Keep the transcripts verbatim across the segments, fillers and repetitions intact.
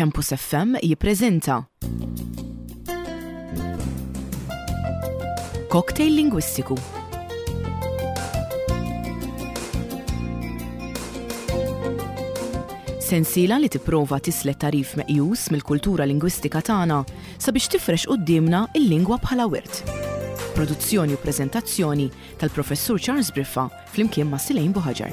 Campus F M jippreżenta Cocktail Lingwistiku. Sensiela li tipprova tislet tarif meqjus mill-kultura lingwistika tagħna sabiex tifrex quddiemna il-lingwa bħala wirt. Produzzjoni u preżentazzjoni tal-Professur Charles Briffa flimkien ma' Silejn Buħaġar.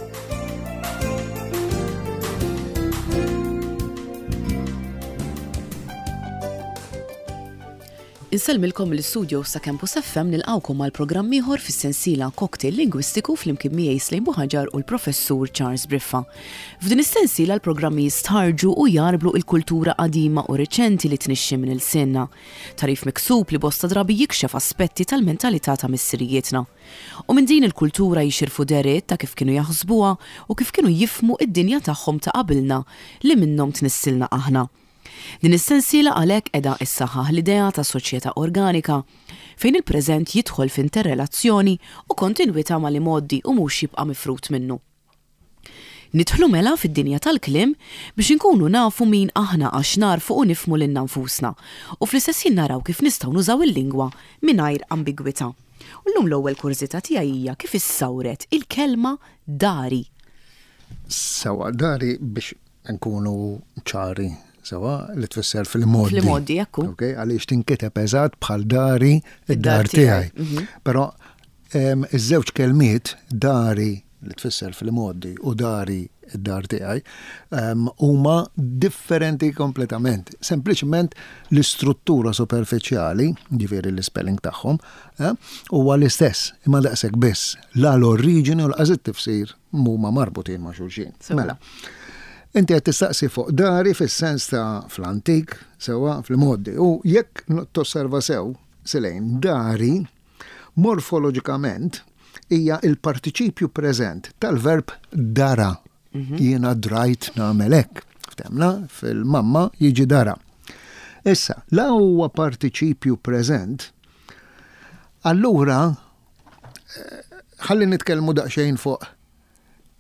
Insellmilkom mill-istudio sa' Campus F M nilqawkom għal programm ieħor fis-sensiela Cocktail Lingwistiku flimkien miegħi Slejn Buħaġar u l-Professur Charles Briffa. F'din is-sensiela l-programmi jistħarġu u jarblu il-kultura qadima u riċenti li tnixxi minn ilsienna. Tarif miksub li bosta drabi jikxef aspetti tal-mentalità ta' missirijietna. U minn din il-kultura jixirfu deriet ta' kif kienu jaħsbuha u kif kienu jifmu id-dinja tagħhom ta' qabilna li minnhom tnissilna aħna. Din is-sensiela għalhekk qiegħda issaħħaħ l-idea ta' soċjetà organika fejn il-preżent jidħol f'interrelazzjoni u kontinwità mal-imgħoddi u mhux jibqa' mifrut minnu. Nidħlu mela fid-dinja tal-kliem biex inkunu nafu min aħna għax narfu u nifhmu lilna nfusna u fl-istess ħin naraw kif nistgħu nużaw il-lingwa mingħajr ambigwità. U llum l-ewwel kurżità tiegħi hija kif issawret il-kelma dari. Sewa, dari biex nkunu ċari sewa li tfisser fil-modi. Fil-modi, ekku. Ok, għaliex tinkiteb eżatt bħal dari id-dar Id-dar tiegħi. tiegħi. Mhm. Però, em, iż-żewġ kelmiet dari li tfisser fil-modi u dari id-dar tiegħi, em, huma differenti kompletament. Sempliċement l-istruttura superfiċjali, ġifieri l-spelling tagħhom, eh, huwa l-istess, imma daqshekk biss. La l-oriġini u l-qas it-tifsir huma marbutin ma' xulxin. Sewa. Mela, inti qed tistaqsi fuq dari fis-sens ta' fl-antik, sewa fil-modi. U jekk tosserva sew, Silejn, dari morfoloġikament hija il-partiċipju preżent tal-verb dara. Mhm. Jiena drajt nagħmel hekk. Ftemna fil-mamma jiġi dara. Issa, la huwa partiċipju preżent, allura, eh, ħalli nitkellmu daqsxejn fuq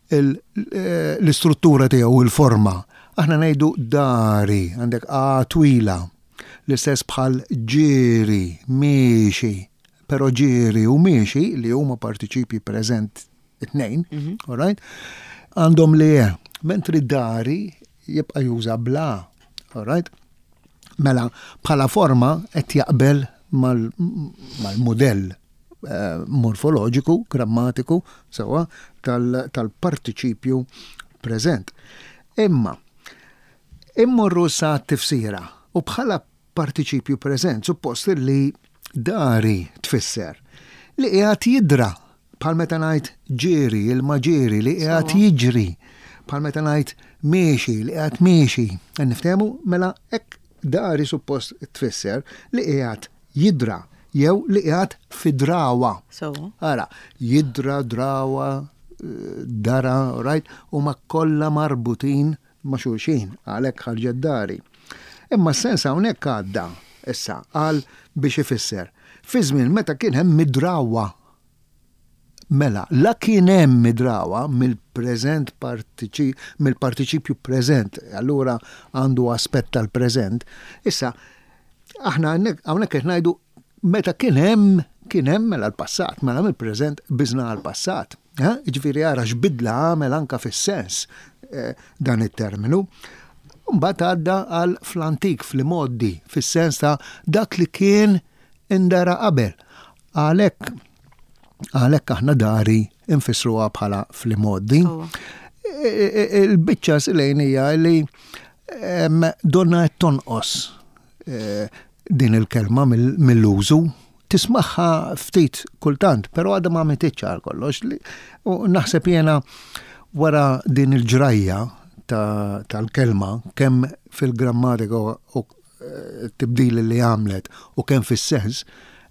il-, eh, l-istruttura tiegħu, il-forma. Aħna ngħidu dari, għandek a twila, l-istess bħal ġieri, miexi, però ġieri u miexi li huma partiċipji preżent it-tnejn, Mhm. all right? Għandhom li je, mentri dari jibqa' juża bla, all right? Mela, bħala forma qed jaqbel mal-, mal-modell, eh, morfoloġiku, grammatiku, sewa, tal-, tal-partiċipju preżent. Imma, immorru sa tifsira u bħala partiċipju preżent, suppost li dari tfisser li qiegħed jidra, bħal meta ngħid ġieri, il-maġieri li qiegħed Sewa. jiġri, bħal meta ngħid miexi, li qiegħed miexi. Niftehmu mela hekk dari suppost tfisser li qiegħed jidra jew li qiegħed fidrawa. Sewa. Ara, jidra, drawa, eh, dara, right, huma kollha marbutin ma' xulxin, għalhekk ħarġet dari. Imma s-sens hawnhekk għadda issa għal biex ifisser. Fi żmien meta kien hemm midrawa. Mela, la kien hemm midrawa mill-preżent partiċi-, mill-partiċipju preżent, allura għandu aspett tal-preżent. Issa, aħna hawnhekk, hawnhekk qed ngħidu meta kien hemm, kien hemm mela l-passat, mela mill-preżent biżna għall-passat. Eh? Jiġifieri ara x'bidla għamel anka fis-sens, eh, dan it-terminu. Mbagħad għadda għal fl-antik, fl-imgħoddi, fis-sens ta' dak li kien indara qabel. Għalhekk, għalhekk aħna dari nfissruha bħala fl-imgħoddi. Sewwa. E, e, e, il-biċċa Silejn hija li, em, donna qed tonqos, e, din il-kelma mill-, mill-użu. Tismagħha ftit kultant, però għadha ma għamilitx għal kollox. Li, u naħseb jiena wara din il-ġrajja ta-, tal-kelma, kemm fil-grammatika u, u, eh, tibdil li għamlet u kemm fis-sens,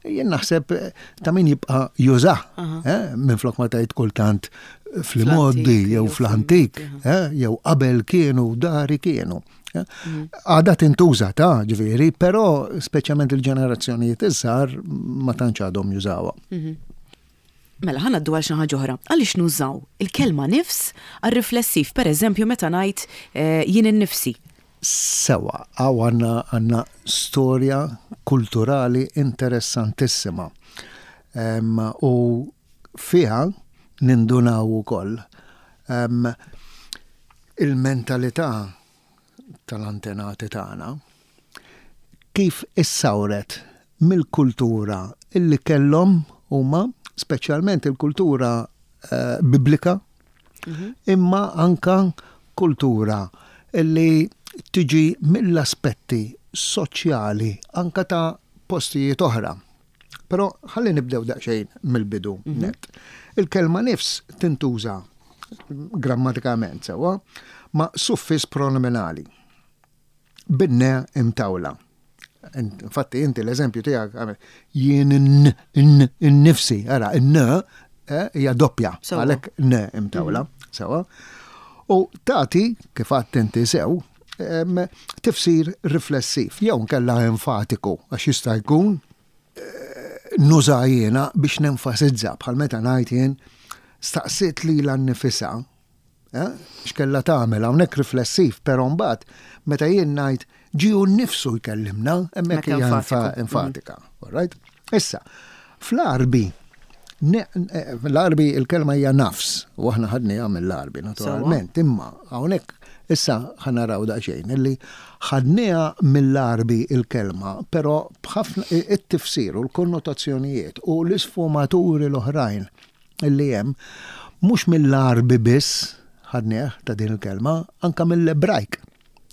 jien naħseb, eh, ta' min jibqa' jużah, Aha. eh, minflok ma tgħid kultant fl-imgħoddi Fl-antik, jew jew fl-antik, fl-imgħoddi, eh, jew qabel kienu, dari kienu. Eh. Mhm. Għadha tintuża ta' ġifieri, però speċjalment il-ġenerazzjonijiet iż-żgħar ma tantx għadhom jużawha. Mhm. Mela, ħa ngħaddu għal xi ħaġa oħra. Għaliex nużaw il-kelma nifs għar-riflessiv, pereżempju meta ngħid, eh, jien innifsi? Sewwa, hawn għandna għandna storja kulturali interessantissima. Um, u fiha nindunaw ukoll um, il-mentalità tal-antenati tagħna kif issawret mill-kultura illi kellhom huma, speċjalment il-kultura uh, biblika, mm -hmm. imma anka kultura illi tiġi mill-aspetti soċjali anka ta' postijiet oħra. Però ħalli nibdew daqsxejn mill-bidu mm -hmm. net. Il-kelma nifs tintuża grammatikament sewwa ma' suffis pronominali bin-ne imtawla. Infatti inti l-eżempju tiegħek jien n-nifsi, ara, n eh, hija doppja, għalhekk n imtawla, mhm. sewwa. U tagħti, kif għedt inti sew, tifsir riflessiv, jew nkella enfatiku, għax jista' jkun eh, nuża jiena biex nenfasizza, bħal meta ngħid jien staqsiet lilha nnifisha, eh, x'kella tagħmel hawnhekk riflessiv, però mbagħad meta jien ngħid ġie hu nnifsu jkellimna, hemmhekk hija enfatika. Mm. Right? Issa, fl-Għarbi, eh, l-Għarbi il-kelma hija nafs, u aħna ħadniha mill-Għarbi, naturalment, imma hawnhekk issa ħa naraw daqsxejn, illi ħadniha mill-Għarbi il-kelma, però b'ħafna it-tifsir u l-konnotazzjonijiet u l-isfumaturi l-oħrajn illi hemm mhux mill-Għarbi biss ħadnieh ta' din il-kelma, anka mill-Ebrajk.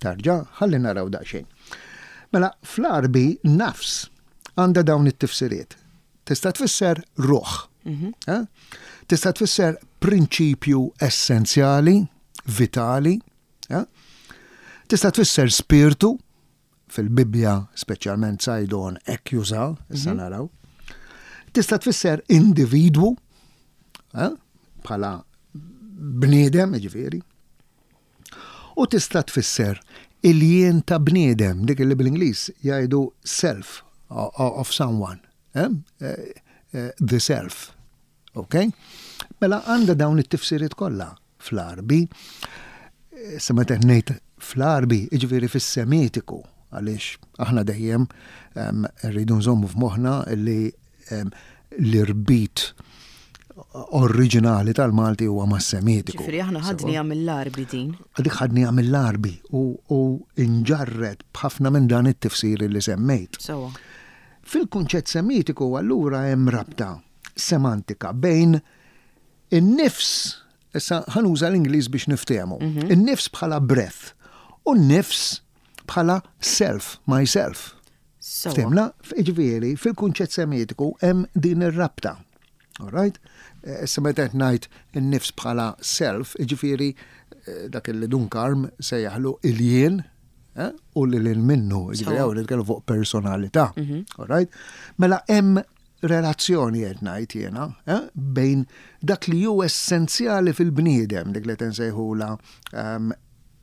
Tarġa, ħalli naraw daqsxejn. Mela, fl-Għarbi nafs għandha dawn it-tifsiriet. Tista' tfisser ruħ. Mhm. Eh? Tista' tfisser prinċipju essenzjali, vitali. Eh? Tista' tfisser spirtu, fil-Bibbja speċjalment Saydon hekk juża, issa mhm. naraw. Tista' tfisser individwu, eh? Bħala bniedem, ġifieri. U tista' tfisser il-jien ta' bniedem, dik li bil-Ingliż jgħidu self of someone. Eh? Eh, eh, the self. Ok? Mela għandha dawn it-tifsiriet kollha fl-Għarbi. Sa meta ngħid fl-Għarbi, jiġifieri fis-Semitiku, għaliex aħna dejjem rridu nżommu f'moħħna li l-irbit oriġinali tal-Malti huwa mas-Semitiku. Ġifieri aħna ħadniha mill-Għarbi din. Dik ħadniha mill-Għarbi u, u inġarret b'ħafna minn dan it-tifsir li semmejt. Sewwa. Fil-kunċett Semitiku allura hemm rabta semantika bejn in-nifs, issa ħa nuża l-Ingliż biex niftehmu, mhm. in-nifs bħala breath u n-nifs bħala self, myself. Ftehmna, ġifieri, fil-kunċett Semitiku hemm din ir-rabta. All right? Eh, issa meta qed ngħid in-nifs bħala self, ġifieri eh, dak li Dun Karm sejjaħlu il-jien, eh, u li lil minnu, ġifieri hawn nitkellmu fuq personalità. Mhm. All right? Mela hemm relazzjoni qed ngħid jiena bejn dak li hu essenzjali fil-bniedem, dik li nsejħula um,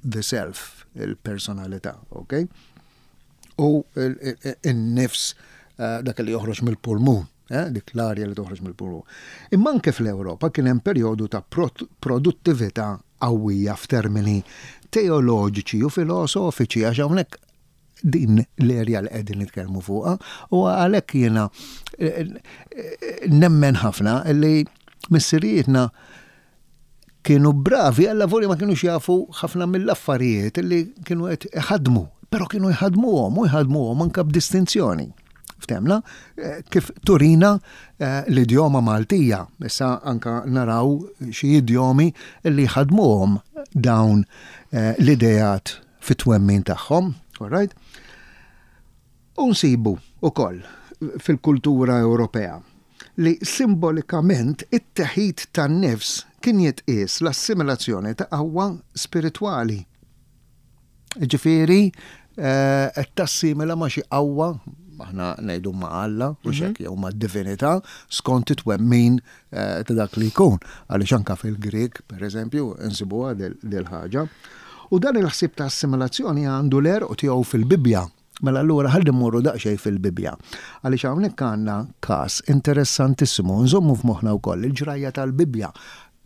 the self, il-personalità, ok? U il-nifs dak li joħroġ mill-pulmun. Eh, dik l-arja li toħroġ mill-pulmun. Imma anke fl-Ewropa kien hemm perjodu ta' produttività qawwija f'termini teoloġiċi u filosofiċi, għax hawnhekk din l-erja li qegħdin nitkellmu fuqha, u għalhekk jiena eh, eh, nemmen ħafna li missirijietna kienu bravi għalla voli ma kienux jafu ħafna mill-affarijiet li kienu qed iħadmu, però kienu jħadmuhom u jħadmuhom anke b'distinzjoni. Ftehmna, eh, kif turina eh, l-idjoma Maltija. Issa anka naraw xi idjomi li ħadmuhom dawn eh, l-idejat fit-twemmin tagħhom. All right? U nsibu ukoll fil-kultura Ewropea li simbolikament it-teħid tan-nifs kien jitqies l-assimilazzjoni ta' qawwa spiritwali. Ġifieri, qed tassimila ma' xi qawwa, aħna ngħidu ma' Alla, u mhm. xek jew ma' divinità, skont it-twemmin eh, ta' dak li jkun. Għaliex anka fil-Grek, per eżempju, nsibuha dil-ħaġa. U dan il-ħsieb ta' assimilazzjoni għandu l-għerq tiegħu fil-Bibbja. Mela allura ħalli mmorru daqsxejn fil-Bibbja. Għaliex hawnhekk għandna każ interessantissimu, nżommu f'moħħna wkoll il-ġrajja tal-Bibbja.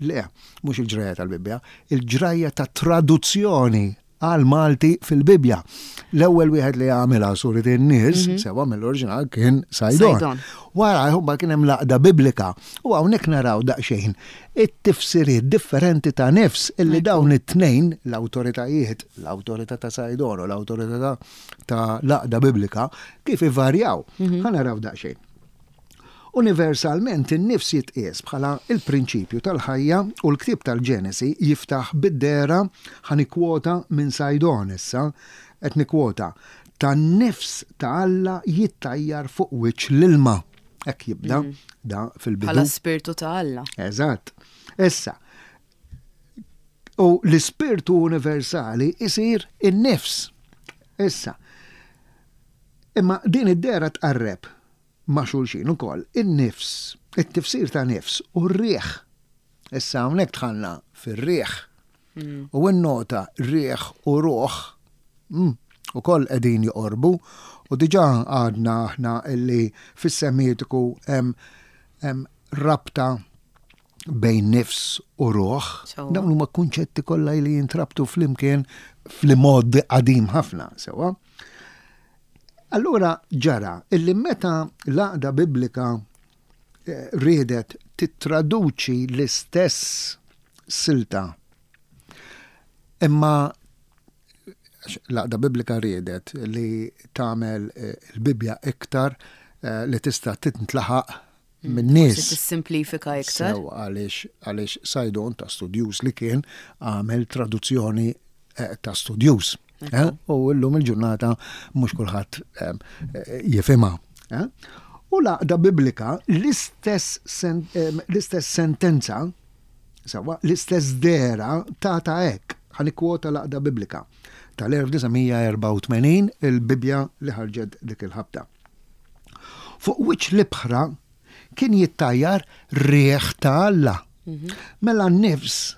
Le, mhux il-ġrajja tal-Bibbja, il-ġrajja ta' traduzzjoni għal Malti fil-Bibja. L-ewwel wieħed li għamilha surit in-nies, mhm. sewa mill-oriġinal kien Saydon. Wara jħobba kien hemm l-Għaqda Biblika u hawnhekk naraw daqsxejn it-tifsiriet differenti ta' nifs illi dawn it-tnejn l-awtoritajiet, l-awtorità ta' Saydon u l-awtorità ta' l-Għaqda Biblika kif ivarjaw. Mhm. Ħa naraw daqsxejn. Universalment in-nifs jitqies bħala il-prinċipju tal-ħajja u l-ktieb tal-Ġenesi jiftaħ bid-dehra, ħa nikkwota minn Saydon issa, qed nikkwota, tan-nifs ta' Alla jittajjar fuq wiċċ l-ilma. Hekk jibda mm. da fil-bidu. Bħala spirtu ta' Alla. Eżatt. Issa, u l-ispirtu universali isir in-nifs. Issa, imma din id-dehra tqarreb ma' xulxin ukoll in-nifs, it-tifsir ta' nifs u r-riħ. Issa hawnhekk dħalna fir-riħ. Mm. U n-nota riħ u ruħ mm, ukoll qegħdin joqorbu u diġà għadna aħna illi fis-Semitiku hemm rabta bejn nifs u ruħ. Dawn huma kunċetti kollha li jintrabtu flimkien fl-mod qadim ħafna, sewwa. Allura ġara illi meta l-Għaqda Biblika eh, riedet tittraduċi l-istess silta imma l-Għaqda Biblika riedet li tagħmel eh, il-Bibbja iktar eh, li tista' tintlaħaq mm, minn nies. Tissimplifika iktar. Sew għaliex għaliex Saydon ta' studjuż li kien għamel traduzzjoni eh, ta' studjuż. Eh, u llum il-ġurnata mhux kulħadd eh, jifhimha. Eh. U l-Għaqda Biblika l-istess l-istess sentenza, sewwa, l-istess dehra ta' ta' hekk, ħa nikkwota l-Għaqda Biblika tal-elf disa' mija erbgħa u tmenin, il-Bibbja li ħarġet dik il-ħabta. Fuq wiċċ l-ibħra kien jittajjar riħ ta' Alla. Mhm. Mela n-nifs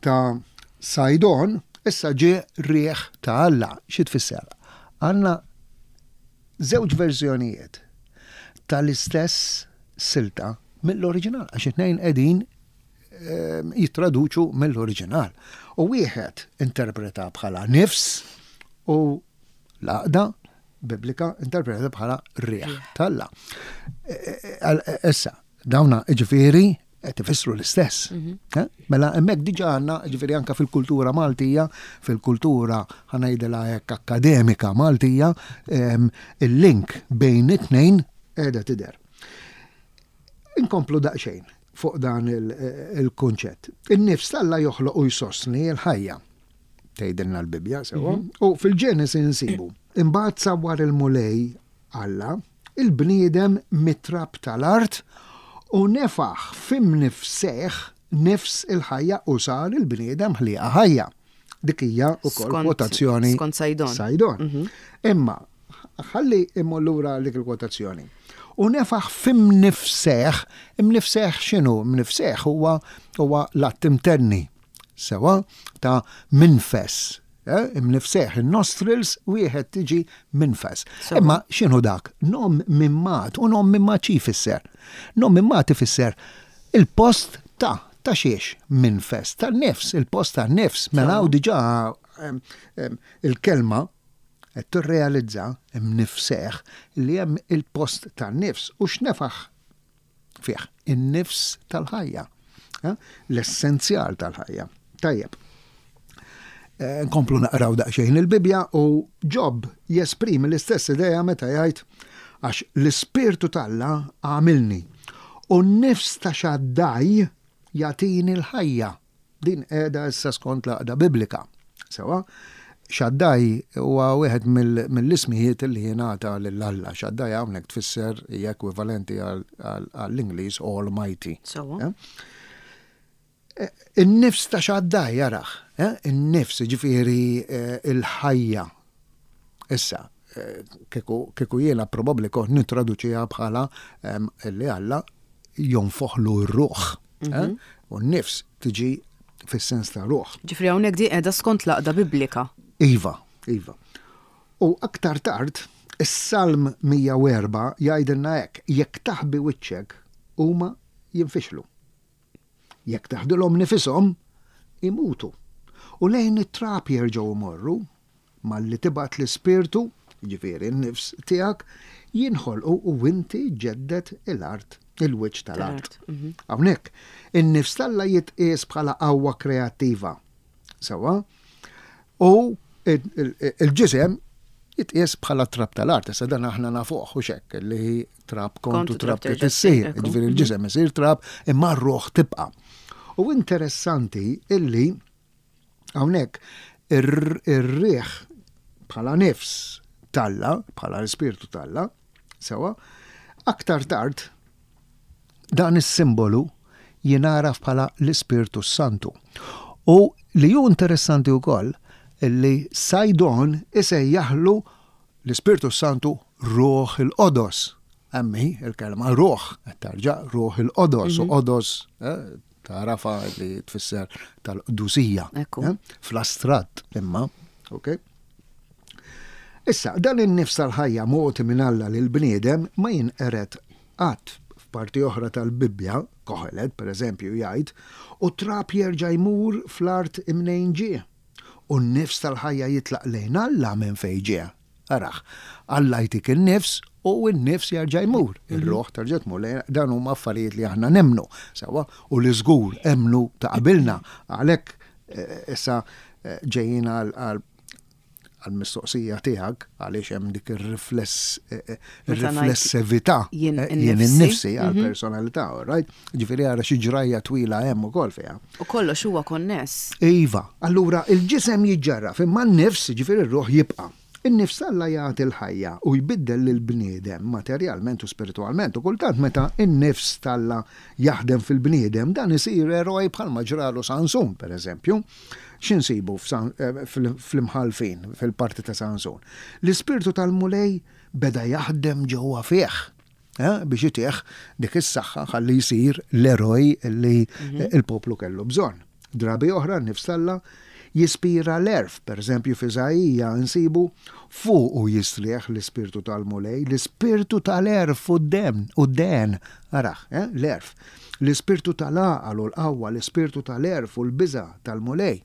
ta' Saydon issa ġie riħ ta' Alla. Xi tfisser? Għandna żewġ verżjonijiet tal-istess silta mill-oriġinal, għax it-tnejn qegħdin ehm, jittraduċu mill-oriġinal. U wieħed interpreta bħala nifs u l-Għaqda Biblika interpreta bħala riħ t'Alla. E, e, e, issa, dawna ġifieri qed ifissru l-istess. Mhm. Eh? Mela hemmhekk diġà għandna, ġifieri anke fil-kultura Maltija, fil-kultura ħa ngħidilha hekk akademika Maltija, ehm, il-link bejn it-tnejn qiegħda tidher. Inkomplu daqsxejn fuq dan il-kunċett. In-nifs t'Alla joħloq u jsostni l-ħajja, tgħidilna l-Bibbja sewwa, mhm. u fil-Ġenesi nsibu. Imbagħad sawwar il-Mulej Alla il-bniedem mit-trab tal-art u nefaħ f'imnifsejh nifs il-ħajja u sar il-bniedem ħliqa ħajja. Dik hija wkoll kwotazzjoni skont Saydon. Saydon. Mhm. Imma ħalli immur lura dik il-kwotazzjoni. U nefaħ f'imnifsejh, imnifsejh x'inhu? Imnifsejh huwa huwa l-att imtenni sewa ta' minfes. Eh, imnifsejh, in-nostrils wieħed tiġi minfes. Imma x'inhu dak? Nom mimmat, u nom mimmat xi jfisser? Nom mimmat ifisser il-post ta' ta' xiex minfes, ta' nifs, il-post ta' nifs. Mela hawn diġà il-kelma qed tirrealizza imnifsejh li hemm il-post ta' nifs u x'nefaħ fih in-nifs tal-ħajja, eh, l-essenzjal tal-ħajja. Tajjeb. Eh, nkomplu naqraw daqsxejn il-Bibbja u Ġob jesprimi l-istess idea meta jgħid għax l-ispirtu t'Alla għamilni u n-nifs ta' Xaddaj jagħtini l-ħajja. Din qiegħda issa skont l-Għaqda Biblika. Sewa, Xaddaj huwa wieħed mill-ismijiet li jingħata lil Alla. Xaddaj hawnhekk tfisser hija ekwivalenti għall-Ingliż Almighty. Sewa. Eh? In-nifs ta' Xaddaj jaraħ, eh? In-nifs ġifieri, eh, il-ħajja. Issa, eh, kieku jiena probabbli kont nittraduċiha bħala li Alla jonfoħlu r-ruħ. Mhm. U n-nifs tiġi fis-sens ta' ruħ. Ġifieri hawnhekk di qiegħda skont l-Għaqda Biblika. Iva, iva. U aktar tard, is-Salm mija u erbgħa jgħidilna hekk, jekk taħbi wiċċek huma jinfixlu. Jekk taħdilhom nifishom, imutu. U lejn it-trab jerġgħu jmorru, malli tibgħat l-ispirtu, ġifieri n-nifs tiegħek, jinħolqu u inti ġġedded il-art, il-wiċċ tal-art. Hawnhekk, in-nifs t'Alla jitqies bħala qawwa kreattiva. Sewwa? U il-ġisem jitqies bħala trab tal-art. Issa dan aħna nafuh u xek li trab kontu trab trid issir. Ġifieri il-ġisem isir trab imma r-ruħ tibqa'. U interessanti illi hawnhekk ir-riħ bħala nifs t'Alla, bħala l-ispirtu t'Alla, sewwa, aktar tard dan is-simbolu jingħaraf bħala l-Ispirtu Santu. U li hu interessanti wkoll illi Saydon isejjaħlu l-Ispirtu Santu Ruħ il-Qodos. Emmi il-kelma ruħ, tarġa' Ruħ il-Qodos, u qodos tarafa li tfisser tal-qdusija. Fl-astratt imma, ok? Issa, dan in-nifs tal-ħajja mogħti minn Alla lil bniedem ma jinqered qatt. F'parti oħra tal-Bibbja, Kohelet, per eżempju, jgħid, u trab jerġa' jmur fl-art imnejn ġie, u n-nifs tal-ħajja jitlaq lejn Alla minn fejn ġie. Araħ, Alla jtik in-nifs u n-nifs jerġa' jmur. Ir-ruħ terġa' tmur lejn, dan huma affarijiet li aħna nemmnu, sewwa, u li żgur emmnu ta' qabilna. Għalhekk issa ġejjin għal għal-mistoqsija tiegħek għaliex hemm dik ir-rifless ir-riflessività jien innifsi għall-personalità, right? Ġifieri ara xi ġrajja twila hemm ukoll fiha. U kollox huwa konness. Iva, allura il-ġisem jiġġarraf imma n-nifs, ġifieri r-ruħ jibqa'. In-nifs Alla jagħti l-ħajja u jbiddel lill-bniedem materjalment u spiritwalment, u kultant meta n-nifs t'Alla jaħdem fil-bniedem dan isir eroj bħalma ġralu Sansun, per eżempju. X'insibu fl-imħalfin, fil-parti ta' Sansun? L-ispirtu tal-Mulej beda jaħdem ġewwa fih biex itih dik is-saħħa ħalli jsir l-eroj li il-poplu kellu bżonn. Drabi oħra n-nifs t'Alla jispira l-erf, per eżempju f'Iżaija nsibu fuq u jistrieħ l-ispirtu tal-Mulej, l-ispirtu tal-erf u d-dem, u d-den, araħ, eh, l-erf, l-ispirtu tal-għaqal u l-qawwa, l-ispirtu tal-erf u l-biża tal-Mulej.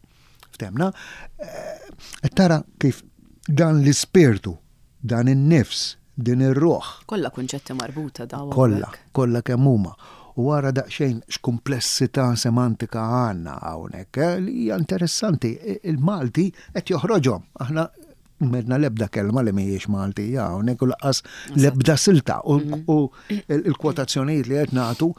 Ftemna, tara kif dan l-ispirtu, dan in-nifs, din ir-ruħ. Kollha kunċetti marbuta dawn. Kollha, kollha kemm huma. U wara daqsxejn x'kumplessità semantika għandna hawnhekk, li hija interessanti, il-Malti qed joħroġhom. Aħna m'għedna l-ebda kelma li mhijiex Maltija hawnhekk u lanqas l-ebda silta u l-kwotazzjonijiet li qed nagħtu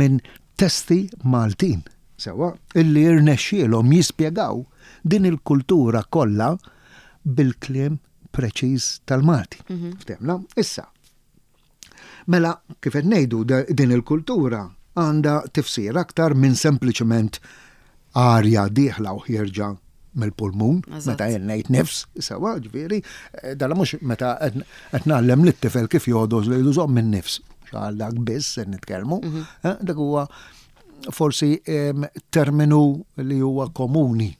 minn testi Maltin, sewwa, illi rnexxielhom jispjegaw din il-kultura kollha bil-kliem preċiż tal-Malti. Ftemna? Issa, mela, kif qed ngħidu, din il-kultura għandha tifsir aktar minn sempliċement arja dieħla u ħierġa mill-pulmun, meta jien ngħid nifs, sewwa, ġifieri, dalla mhux meta qed ngħallem lit-tifel kif jogħdos li jżomm minn nifs, għal dak biss se nitkellmu, dak huwa forsi terminu li huwa komuni.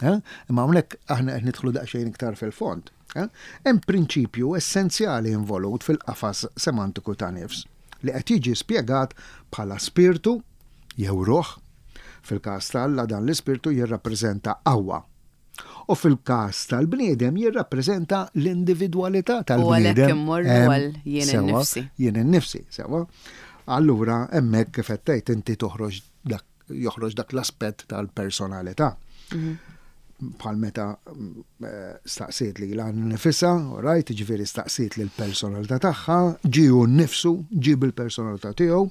Imma hawnhekk aħna qed nidħlu daqsxejn iktar fil-fond. Hemm prinċipju essenzjali involut fil-qafas semantiku ta' nifs li qed jiġi spjegat bħala spirtu jew ruħ. Fil-każ t'Alla dan l-ispirtu jirrappreżenta qawwa. U fil-każ tal-bniedem jirrappreżenta l-individwalità tal-bniedem. U għalhekk immorru għal jien innifsi. Jien innifsi, sewwa. Allura hemmhekk kif qed tgħid inti toħroġ dak, joħroġ dak l-aspett tal-personalità. Bħal meta staqsiet li l nifisha, right, ġifieri staqsiet li l-personalità tagħha, ġie hu nnifsu, ġie bil-personalità tiegħu,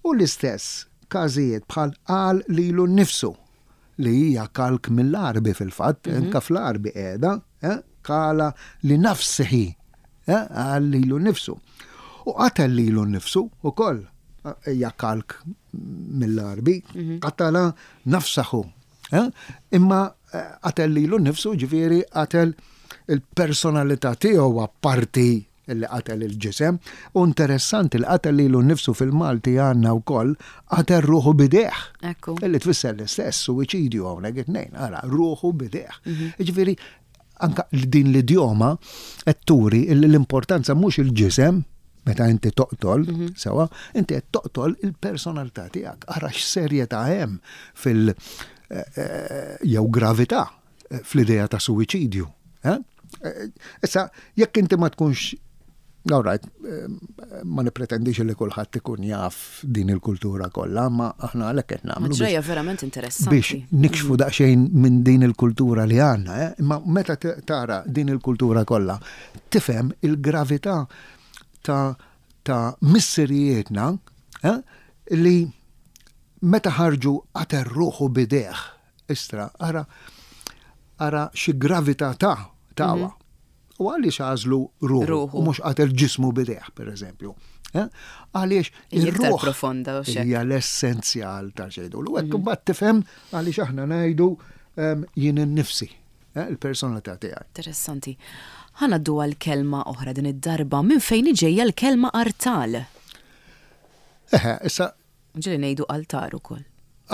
u l-istess każijiet bħal qal lilu nnifsu li hija kalk mill-Għarbi fil-fatt, anke fl-Għarbi qiegħda, qala li nafsihi, qal lilu nnifsu. U qatel lilu nnifsu ukoll hija kalk mill-Għarbi, qatala nafsahu. Imma qatel lilu nnifsu, ġifieri qatel il-personalità tiegħu apparti li qatel il-ġisem. U interessanti li qatel lilu nnifsu fil-Malti għandna wkoll qatel ruħu bidejh. Illi tfisser l-istess suwiċidju hawnhekk it-tnejn, ara, ruħu bidejh. Ġifieri anka din l-idjoma qed turi l-importanza mhux il-ġisem meta inti toqtol, sewwa, inti qed toqtol il-personalità tiegħek. Ara x'serjetà hemm fil- jew gravità fl-idea ta' suwiċidju. Issa, jekk inti ma tkunx, all right, ma nipretendix li kulħadd ikun jaf din il-kultura kollha, ma aħna għalhekk qed nagħmlu. Ġrajja verament interessanti. Biex nikxfu daqsxejn minn din il-kultura li għandna, imma meta tara din il-kultura kollha, tifhem il-gravità ta' ta' missirijietna li meta ħarġu qatel ruħu b'idejh. Istra, ara ara xi gravità ta' tawa. U għaliex għażlu ruħu u mhux qatel ġismu b'idejh, per eżempju. Għaliex ir-ruħ profonda u hija l-essenzjal ta' xejdu. U hekk imbagħad tifhem għaliex aħna ngħidu jien innifsi, il-personalità tiegħi. Interessanti. Ħa ngħaddu għal kelma oħra din id-darba, minn fejn ġejja l-kelma artal? Eħe, issa. Ġieli ngħidu altar ukoll.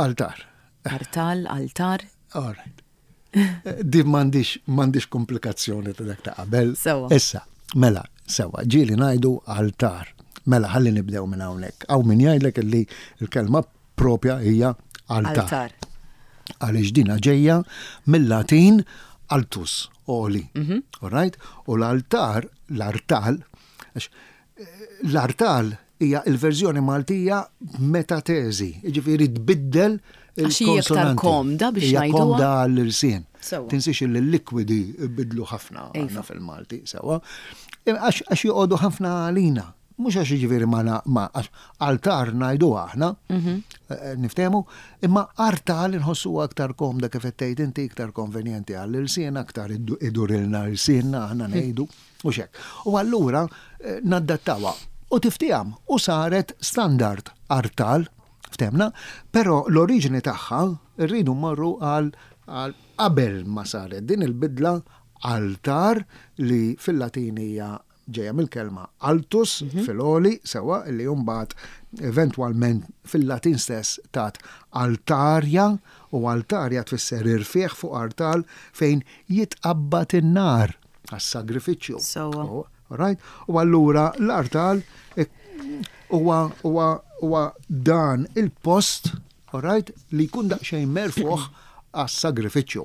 Altar. Artal, altar. All right. Din m'għandix m'għandix komplikazzjoni ta' dak ta' qabel. Sewa. Issa, mela, sewa, ġieli ngħidu altar. Mela, ħalli nibdew minn hawnhekk. Hawn min jgħidlek li l-kelma propja hija altar. Altar. Għaliex dina ġejja mill-Latin altus, oli. All right? U l-altar, l-artal, għax l-artal hija il-verżjoni Maltija metateżi, jiġifieri tbiddel Għax hija iktar il-konsonanti. komda biex Hija ngħiduha. komda għall-irsien. Sewa. Tinsiex li l-likwidi bidlu ħafna Iva. għandna fil-Malti, sewa. Għax għax joqogħdu ħafna għalina. Mhux għax jiġifieri ma na- ma għax altar ngħidu aħna, eh, niftehmu, imma artal inħossu aktar komda kif qed tgħid inti, iktar konvenjenti għall-irsien, aktar idurilna l-irsienna aħna ngħidu u xek. U allura eh, naddattawha u tiftiham u saret standard artal, ftemna, però l-oriġini tagħha rridu mmorru għal għal qabel ma saret din il-bidla altar li fil-Latin hija ġejja mill-kelma altus fil-oli, sewa, li mbagħad eventwalment fil-Latin stess tat altarja, u altarja tfisser irfieħ fuq artal fejn jitqabbad in-nar għas-sagrifiċċju. Sewa. Oh, right? U allura l-artal huwa huwa huwa dan il-post, all right, li jkun daqsxejn merfuħ għas-sagrifiċċju.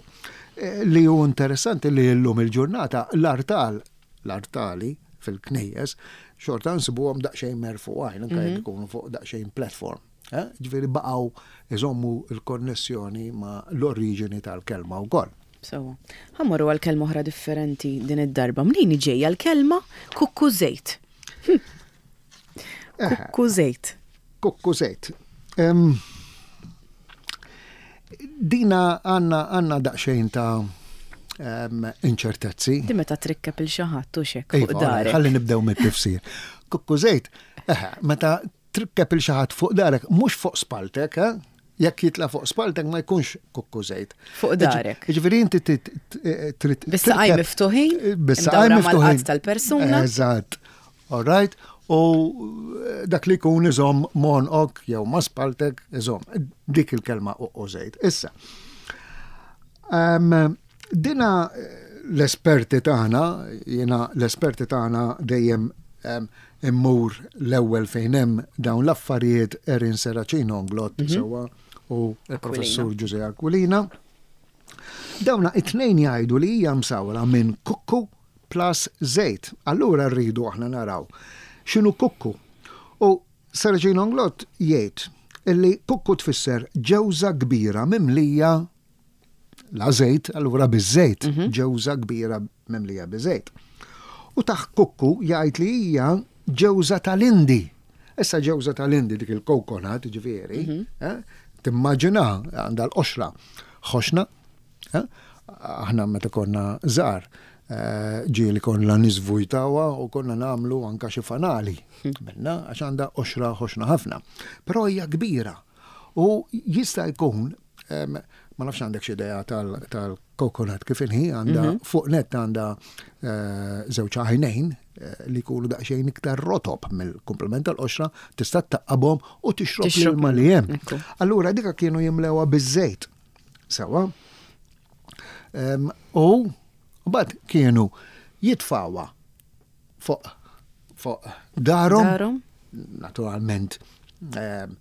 Eh, Li hu interessanti li llum il-ġurnata l-artal, l-artali fil-knejjes, xorta nsibuhom daqsxejn merfuħin, anke jekk ikunu fuq daqsxejn platform. Eh? Ġifieri baqgħu iżommu l-konnessjoni ma' l-oriġini tal-kelma wkoll. Sewa. Ħa mmorru għal kelma oħra differenti din id-darba. Mnejn ġejja l-kelma kukkużejt? Kukkużejt. Kukkużejt. Em, Dina għanna għanna daqsxejn ta' em, inċertezzi. Di meta trikkeb il xi ħadd u xek fuq Iva, darek. ħalli nibdew mit-tifsir. Kukkużejt, eħe, meta trikkeb il xi ħadd fuq darek, mhux fuq spaltek, eh? Jekk jitla fuq spaltek ma jkunx kukkużejt. Fuq darek. Jiġifieri inti trid trid Bis-saqaj tirkeb- miftuħin, Bis-saqaj imdawra miftuħin. mal-qadd tal-persuna. Eżatt. All right. U dak li jkun iżomm monqok jew ma spaltek iżomm. Dik il-kelma kukkużejt. Issa. Um, dina l-esperti tagħna, jiena l-esperti tagħna dejjem um, immur l-ewwel fejn hemm dawn l-affarijiet Erin Serracino Inglott sewwa u l-professur Ġużè Aquilina. Dawna it-tnejn jgħidu li hija msawra minn kukku plus żejt. Allura rridu aħna naraw x'inhu kukku. U Serracino Inglott jgħid illi kukku tfisser ġewża kbira mimlija la żejt, allura biż-żejt, ġewża kbira mimlija biż-żejt. U taħ kukku jgħid li hija ġewża tal-Indi. Issa ġewża tal-Indi dik il-coconut, ġifieri, eh, timmaġina għandha l-qoxra ħoxna, eh, aħna meta konna żgħar, eh, ġieli konna niżvujtawha u konna nagħmlu anka xi fanali minna għax għandha qoxra ħoxna ħafna. Però hija kbira u jista' jkun em, ma nafx għandek xi idea tal-coconut kif inhi, għandha fuq net għandha eh, żewġ għajnejn eh, li jkunu daqsxejn iktar rotob mill-komplement tal-qoxra, tista' taqqabhom u tixrob Tixrob l-ilma li hemm. Ekku. Allura dika kienu jimlewha biż-żejt. Sewa. Em, U mbagħad kienu jitfawha fuq fuq darhom. Darhom. Naturalment, em,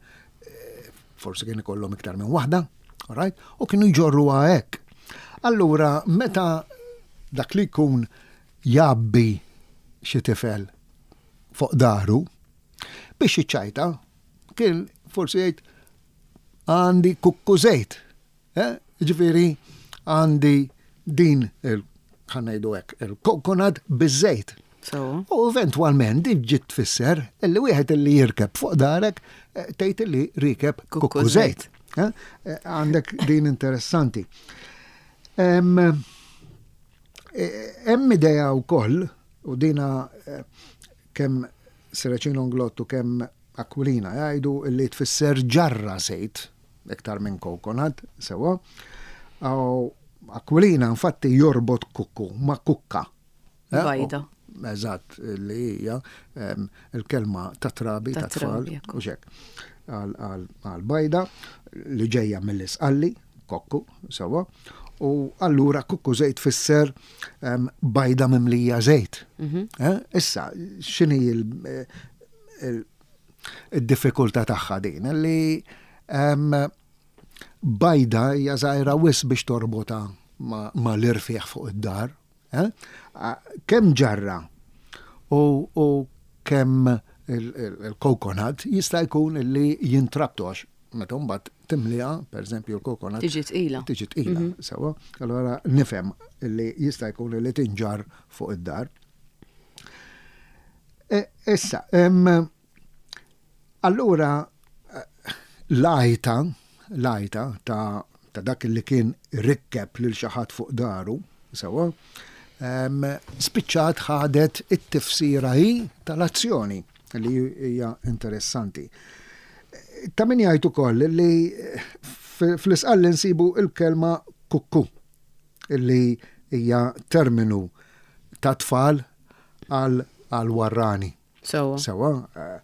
eh, forsi kien ikollhom iktar minn waħda, Right? U kienu jġorruha hekk. Allura, meta dak li jkun jgħabbi xi tifel fuq dahru, biex iċċajta, kien forsi jgħid għandi kukku żejt. Eh? Ġifieri għandi din il ħa ngħidu hekk, il-coconut biż-żejt. So. U eventwalment din ġiet tfisser illi wieħed illi jirkeb fuq dahrek eh, tgħid illi rikeb Kukku kukku żejt. Eh? Eh, Għandek din interessanti. Em, eh, Hemm idea wkoll u dina eh, kemm Serracino Inglott u kemm Aquilina jgħidu illi tfisser ġarra żejt iktar minn coconut, sewa. U Aquilina infatti jorbot kukku ma' kukka. Eh, Bajda. u- Eżatt, li hija em, il-kelma ta' trabi, Ta' ta' tfal, trabi, ekku. u xek. Għal bajda li ġejja mill-isqalli, kokku, sewa, u allura kukku żejt fisser em, bajda mimlija żejt. Eh, Issa, x'inhi il- il- il-diffikultà tagħha din? Li em, bajda hija żgħira wisq biex torbota ma, ma l-irfieħ fuq id-dar. Eh? A- Kemm ġarra u, u kemm il-coconut jista' jkun li jintrabtu għax meta mbagħad timliha, pereżempju l-coconut. Tiġi tqila. Tiġi tqila, sewa. Allora nifhem li jista' jkun li tinġar fuq id-dar. E, Issa, em, allura eh, l-għajta, l-għajta ta' ta' dak li kien rikkeb lil xi ħadd fuq dahru, sewa, em, spiċċat ħadet it-tifsira hi tal-azzjoni li hija interessanti. Ta' min jgħid ukoll li fl-isqalli nsibu il-kelma kukku, illi hija terminu ta' tfal għal għal warrani. Sewa. Sewa, eh,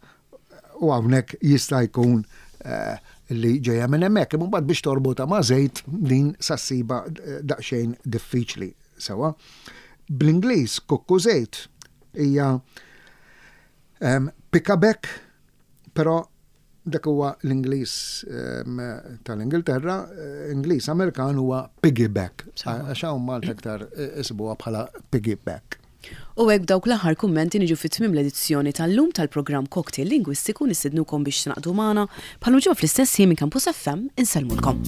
u hawnhekk jista' jkun eh, li ġejja minn hemmhekk, imma mbagħad biex torbota ma' żejt din sa ssibha eh, daqsxejn diffiċli. Sewa. Bl-Ingliż kukku żejt hija um, pickaback, però dak huwa l-Ingliż um, tal-Ingilterra, eh, Ingliż Amerikan huwa piggyback. Għax hawn Malta aktar eh, isibuha bħala piggyback. U hekk dawk l-aħħar kummenti niġu fit tmiem l-edizzjoni tal-lum tal-programm Cocktail Lingwistiku. Nistednukom biex tingħaqdu magħna bħal ġimgħa fl-istess ħin minn Campus F M. Insellmulkom.